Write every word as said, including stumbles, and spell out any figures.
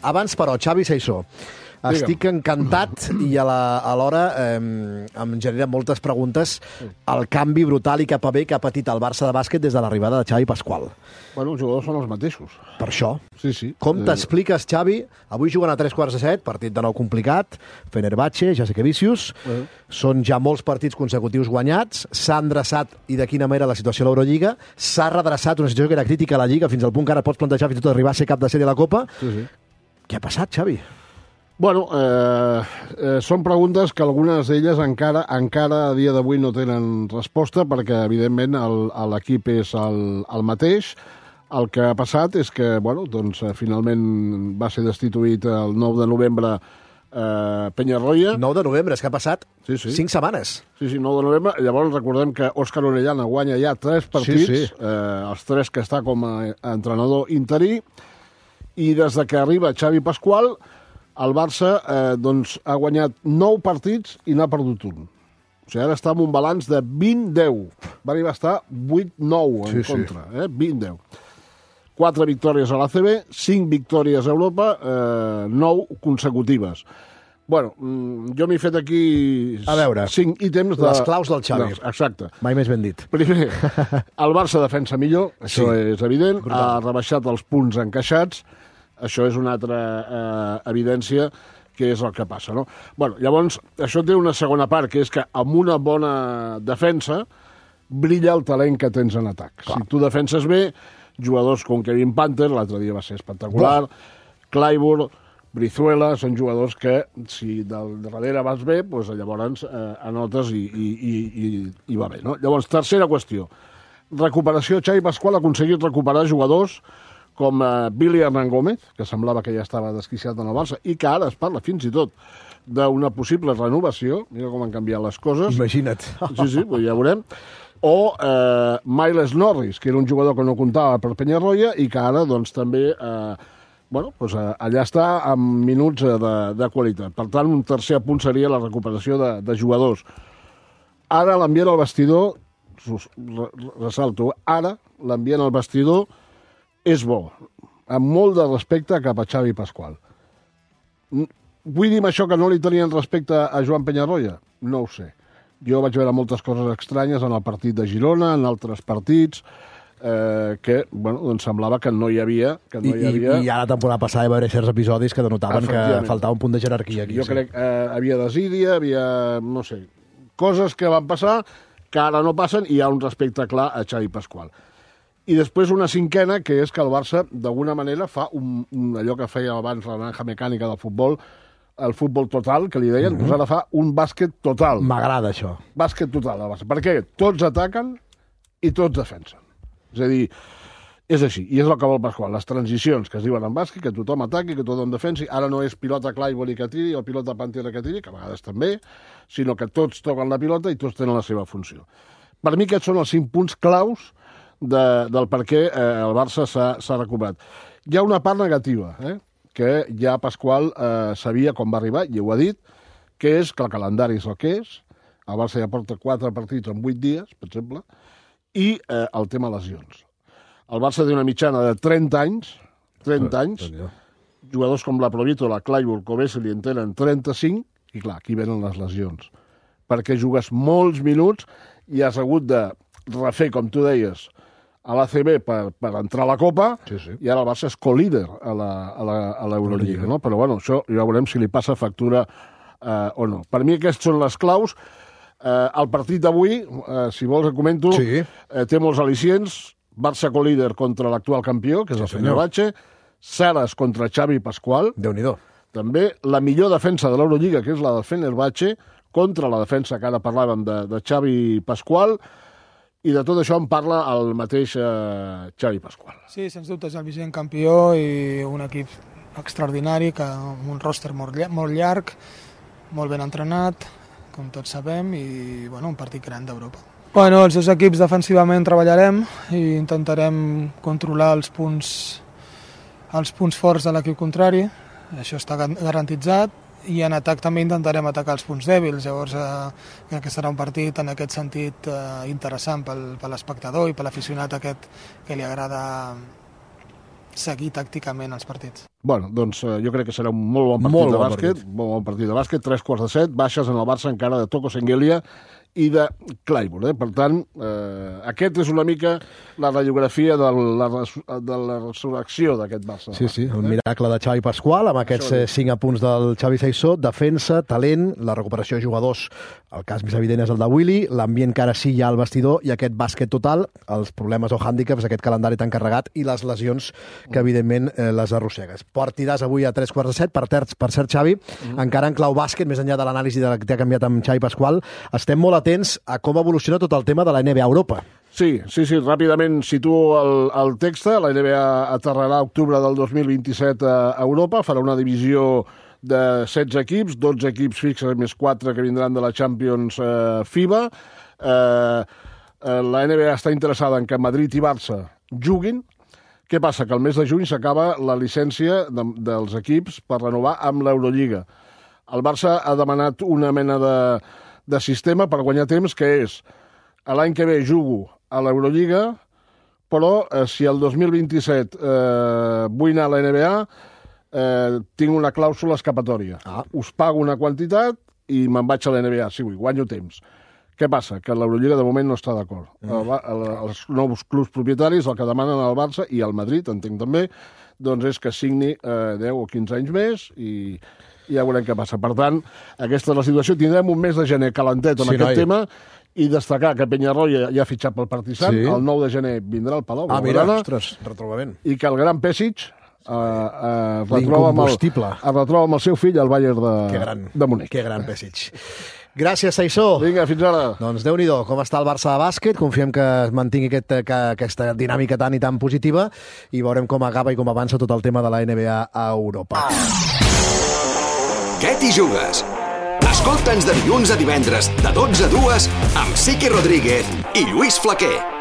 Abans, però, Xavi Saissó, estic encantat i alhora eh, em genera moltes preguntes el canvi brutal i cap a bé que ha patit el Barça de bàsquet des de l'arribada de Xavi Pasqual. Bueno, els jugadors són els mateixos. Per això. Sí, sí. Com t'expliques, Xavi? Avui juguen a tres quarts de set, partit de nou complicat, Fenerbahçe, Jasikevičius, uh -huh. són ja molts partits consecutius guanyats, s'ha endreçat i de quina manera la situació a l'Eurolliga, s'ha redreçat una situació que era crítica a la Lliga, fins al punt que ara pots plantejar fins i tot arribar a ser cap de sèrie de la Copa. Sí, sí. Què ha passat, Xavi? Bueno, eh, eh, són preguntes que algunes d'elles encara encara a dia d'avui no tenen resposta perquè, evidentment, l'equip és el, el mateix. El que ha passat és que, bueno, doncs, finalment va ser destituït el nou de novembre eh, Peñarroya. nou de novembre, és que ha passat sí, sí. cinc setmanes. Sí, sí, nou de novembre. Llavors recordem que Òscar Orellana guanya ja tres partits, sí, sí. Eh, els tres que està com a entrenador interí, i des de que arriba Xavi Pasqual, el Barça eh, doncs, ha guanyat nou partits i n'ha perdut un. O sigui, ara està amb un balanç de vint deu. Va arribar a estar vuit nou en sí, contra, sí. eh? vint deu. Quatre victòries a l'A C B, cinc victòries a Europa, eh, nou consecutives. Bueno, jo m'he fet aquí a veure, cinc ítems de... les claus del Xavi. Exacte. Mai més ben dit. Primer, el Barça defensa millor, això sí. és evident, brutal. Ha rebaixat els punts encaixats, això és una altra eh, evidència que és el que passa, no? Bueno, llavors, això té una segona part, que és que amb una bona defensa brilla el talent que tens en atac. Clar. Si tu defenses bé, jugadors com Kevin Panther, l'altre dia va ser espectacular, Buah. Clyburn, Brizuela, són jugadors que, si del darrere vas bé, doncs llavors eh, anotes i, i, i, i va bé, no? Llavors, tercera qüestió. Recuperació. Xavi Pasqual ha aconseguit recuperar jugadors com eh, Billy Hernán Gómez, que semblava que ja estava desquiciat en el Barça, i que ara es parla fins i tot d'una possible renovació. Mira com han canviat les coses. Imagina't. Sí, sí, pues ja veurem. O eh, Miles Norris, que era un jugador que no comptava per Peñarroya i que ara doncs, també eh, bueno, doncs, eh, allà està amb minuts de, de qualitat. Per tant, un tercer punt seria la recuperació de, de jugadors. Ara l'ambient al vestidor, ressalto, ara l'ambient al vestidor és bo, amb molt de respecte cap a Xavi Pasqual. Vull dir amb això que no li tenien respecte a Joan Peñarroya? No ho sé. Jo vaig veure moltes coses estranyes en el partit de Girona, en altres partits, eh, que, bueno, doncs semblava que no hi havia... Que no I, hi havia... I, I ara la temporada passada hi va haver certs episodis que denotaven que faltava un punt de jerarquia aquí. Jo sí. crec que eh, havia desídia, havia, no sé, coses que van passar que ara no passen i hi ha un respecte clar a Xavi Pasqual. I després una cinquena, que és que el Barça, d'alguna manera, fa un, un, allò que feia abans la naranja mecànica del futbol, el futbol total, que li deien, mm-hmm. doncs ara fa un bàsquet total. M'agrada això. Bàsquet total, el Barça. Per què? Tots ataquen i tots defensen. És a dir, és així, i és el que vol Pasqual. Les transicions que es diuen en bàsquet, que tothom ataqui, que tothom defensi, ara no és pilota Clyburn que tiri o pilota Panther que tiri, que a vegades també, sinó que tots toquen la pilota i tots tenen la seva funció. Per mi aquests són els cinc punts claus de, del per què eh, el Barça s'ha recuperat. Hi ha una part negativa, eh? que ja Pasqual eh, sabia com va arribar, i ho ha dit, que és que el calendari és el que és, el Barça ja porta quatre partits en vuit dies, per exemple, i eh, el tema lesions. El Barça té una mitjana de trenta anys, trenta anys, jugadors com la Provítola, Clyburn, Covesli en tenen trenta-cinc, i clar, aquí venen les lesions. Perquè jugues molts minuts i has hagut de refer, com tu deies, a l'A C B per, per entrar a la Copa, sí, sí. i ara el Barça és co-líder a l'Eurolliga, no? Però bueno, això ja veurem si li passa factura eh, o no. Per mi aquests són les claus. Eh, el partit d'avui, eh, si vols et comento, sí. eh, té molts al·licients. Barça co-líder contra l'actual campió, que és sí, el Fenerbahçe. Saras contra Xavi Pasqual. Déu-n'hi-do. També la millor defensa de l'Eurolliga, que és la del Fenerbahçe, contra la defensa que ara parlàvem de, de Xavi Pasqual. I de tot això en parla el mateix eh, Xavi Pasqual. Sí, sens dubte és el vigent campió i un equip extraordinari, que amb un roster molt, molt llarg, molt ben entrenat, com tots sabem, i bueno, un partit gran d'Europa. Bueno, els dos equips defensivament treballarem i intentarem controlar els punts, els punts forts de l'equip contrari, això està garantitzat, i en atac també intentarem atacar els punts dèbils. Llavors eh, crec que serà un partit en aquest sentit eh, interessant pel, per l'espectador i per l'aficionat aquest que li agrada seguir tàcticament els partits. Bueno, doncs eh, jo crec que serà un molt bon partit Molt de bon bàsquet, partit. molt bon partit de bàsquet, tres quarts de set, baixes en el Barça encara de Toko Sengelia i de Claypool. Eh? Per tant, eh, aquest és una mica la radiografia de la, de la resurrecció d'aquest Barça. Sí, sí, el miracle de Xavi Pasqual, amb aquests eh, cinc apunts del Xavi Saissó, defensa, talent, la recuperació de jugadors, el cas més evident és el de Willy, l'ambient que ara sí hi ha al vestidor i aquest bàsquet total, els problemes o hàndicaps, aquest calendari tan carregat i les lesions que, evidentment, eh, les arrossegues. Partidàs avui a tres quarts de set, per, ter per cert, Xavi, mm. encara en clau bàsquet, més enllà de l'anàlisi de la que t'ha canviat amb Xavi Pasqual, estem molt atents a com evoluciona tot el tema de la N B A Europa. Sí, sí, sí, ràpidament situo el, el text. La N B A aterrarà a octubre del dos mil vint-i-set a Europa, farà una divisió de setze equips, dotze equips fixes més quatre que vindran de la Champions eh, FIBA. Eh, eh, la N B A està interessada en que Madrid i Barça juguin. Què passa? Que el mes de juny s'acaba la llicència de, dels equips per renovar amb l'Eurolliga. El Barça ha demanat una mena de, de sistema per guanyar temps, que és l'any que ve jugo a l'Eurolliga, però eh, si el dos mil vint-i-set eh, vull anar a la N B A, eh, tinc una clàusula escapatòria. Ah. Us pago una quantitat i me'n vaig a la N B A, si vull, guanyo temps. Què passa? Que l'Eurolliga de moment no està d'acord. Mm. El, els nous clubs propietaris el que demanen al Barça i al Madrid, entenc també, doncs és que signi eh, deu o quinze anys més i, i ja veurem què passa. Per tant, aquesta és la situació. Tindrem un mes de gener calentet en sí, aquest noi. tema i destacar que Peñarroya ja, ja ha fitxat pel Partizan, sí. El nou de gener vindrà al Palau. Ah, mira, ostres, retrobament. I que el gran Pesic eh, eh, retroba, amb el, es retroba amb el seu fill al Bayern de, que gran, de Munic. Que gran Pesic. Gràcies, Saissó. Vinga, fins ara. Doncs Déu-n'hi-do, com està el Barça de bàsquet. Confiem que es mantingui aquest, que, aquesta dinàmica tan i tan positiva i veurem com acaba i com avança tot el tema de la N B A a Europa. Què t'hi jugues? Escolta'ns de dilluns a divendres, de dotze a dues, amb Siqui Rodríguez i Lluís Flaquer.